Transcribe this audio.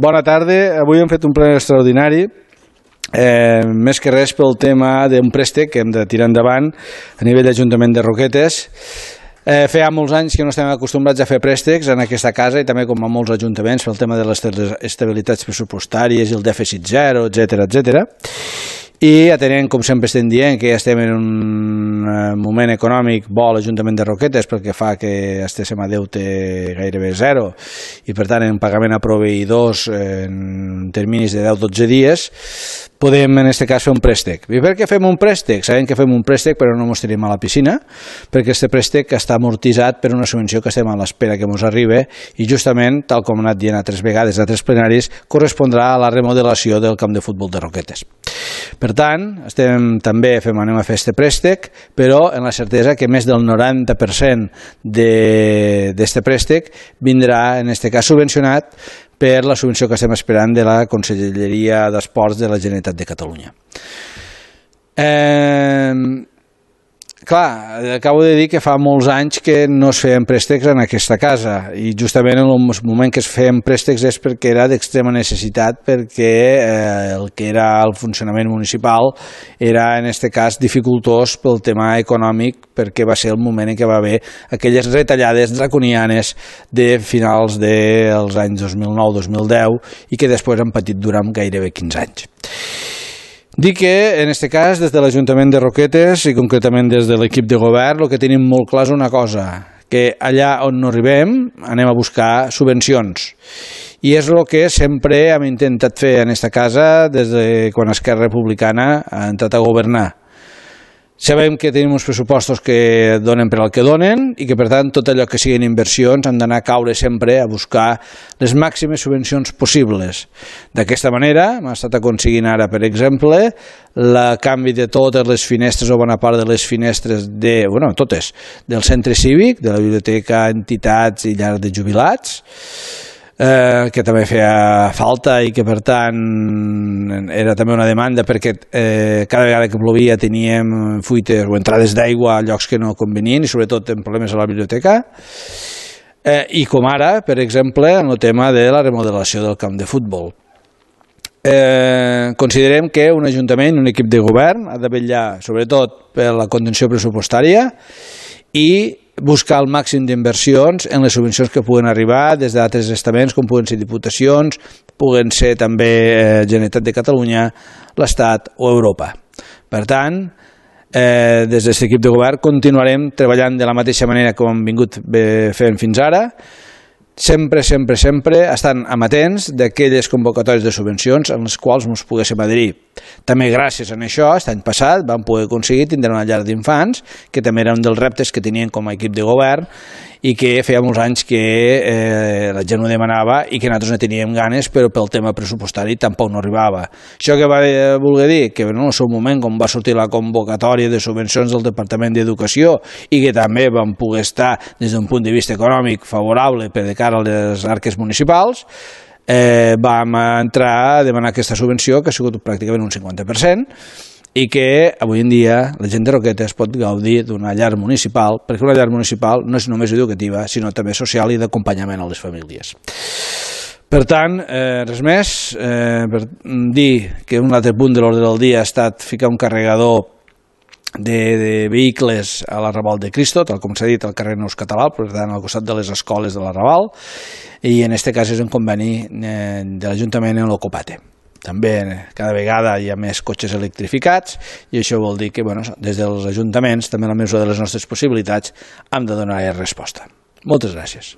Bona tarda. Avui hem fet un ple extraordinari, més que res pel tema d'un préstec que hem de tirar endavant a nivell d'Ajuntament de Roquetes. Feia molts anys que no estem acostumbrats a fer préstecs en aquesta casa i també com a molts ajuntaments pel tema de les estabilitats pressupostàries i el dèficit zero, etc. I atenent, com sempre estem dient, que ja estem en un moment econòmic bo a l'Ajuntament de Roquetes perquè fa que estiguem a deute gairebé zero i per tant en pagament a proveïdors en terminis de 10-12 dies, podem en aquest cas fer un préstec. I per què fem un préstec? Sabem que fem un préstec però no ens tirem a la piscina, perquè aquest préstec està amortitzat per una subvenció que estem a l'espera que ens arribi i justament, tal com hem anat dient altres vegades a altres plenaris, correspondrà a la remodelació del camp de futbol de Roquetes. Per tant, anem a fer aquest préstec, però en la certesa que més del 90% d'aquest préstec vindrà, en aquest cas, subvencionat per la subvenció que estem esperant de la Conselleria d'Esports de la Generalitat de Catalunya. Clar, acabo de dir que fa molts anys que no es feien préstecs en aquesta casa i justament en el moment que es feien préstecs és perquè era d'extrema necessitat, perquè el que era el funcionament municipal era en aquest cas dificultós pel tema econòmic, perquè va ser el moment en què va haver aquelles retallades draconianes de finals dels anys 2009-2010 i que després han patit durant gairebé 15 anys. Dic que, en aquest cas, des de l'Ajuntament de Roquetes i concretament des de l'equip de govern, el que tenim molt clar és una cosa, que allà on no arribem anem a buscar subvencions. I és el que sempre hem intentat fer en aquesta casa des de quan Esquerra Republicana ha entrat a governar. Sabem que tenim uns pressupostos que donen per al que donen i que, per tant, tot allò que siguin inversions han d'anar a caure sempre a buscar les màximes subvencions possibles. D'aquesta manera, hem estat aconseguint ara, per exemple, el canvi de totes les finestres o bona part de les finestres totes, del centre cívic, de la biblioteca, entitats i llars de jubilats, que també feia falta i que per tant era també una demanda perquè cada vegada que plovia teníem fuites o entrades d'aigua a llocs que no convenien i sobretot en problemes a la biblioteca i com ara, per exemple, en el tema de la remodelació del camp de futbol. Considerem que un ajuntament, un equip de govern ha de vetllar sobretot per la contenció pressupostària i buscar el màxim d'inversions en les subvencions que puguen arribar des d'altres estaments com puguen ser diputacions, puguen ser també Generalitat de Catalunya, l'Estat o Europa. Per tant, des d'aquest equip de govern continuarem treballant de la mateixa manera com hem vingut fent fins ara, sempre estan amatents d'aquelles convocatòries de subvencions en les quals ens poguéssim adherir. També gràcies a això, l'any passat vam poder aconseguir tindre una llar d'infants, que també era un dels reptes que tenien com a equip de govern i que feia molts anys que la gent ho demanava i que nosaltres no teníem ganes, però pel tema pressupostari tampoc no arribava. Això què va voler dir? Que en el seu moment, com va sortir la convocatòria de subvencions del Departament d'Educació i que també vam poder estar des d'un punt de vista econòmic favorable per de cara a les arques municipals, vam entrar a demanar aquesta subvenció, que ha sigut pràcticament un 50%, i que avui en dia la gent de Roquetes pot gaudir d'una llar municipal, perquè una llar municipal no és només educativa, sinó també social i d'acompanyament a les famílies. Per tant, res més, per dir que un altre punt de l'ordre del dia ha estat ficar un carregador de vehicles a l'Arrabal de Cristo, tal com s'ha dit al carrer Neus Català, per tant al costat de les escoles de l'Arrabal, i en aquest cas és un conveni de l'Ajuntament en l'Ocopate. També cada vegada hi ha més cotxes electrificats i això vol dir que des dels ajuntaments, també en la mesura de les nostres possibilitats, hem de donar resposta. Moltes gràcies.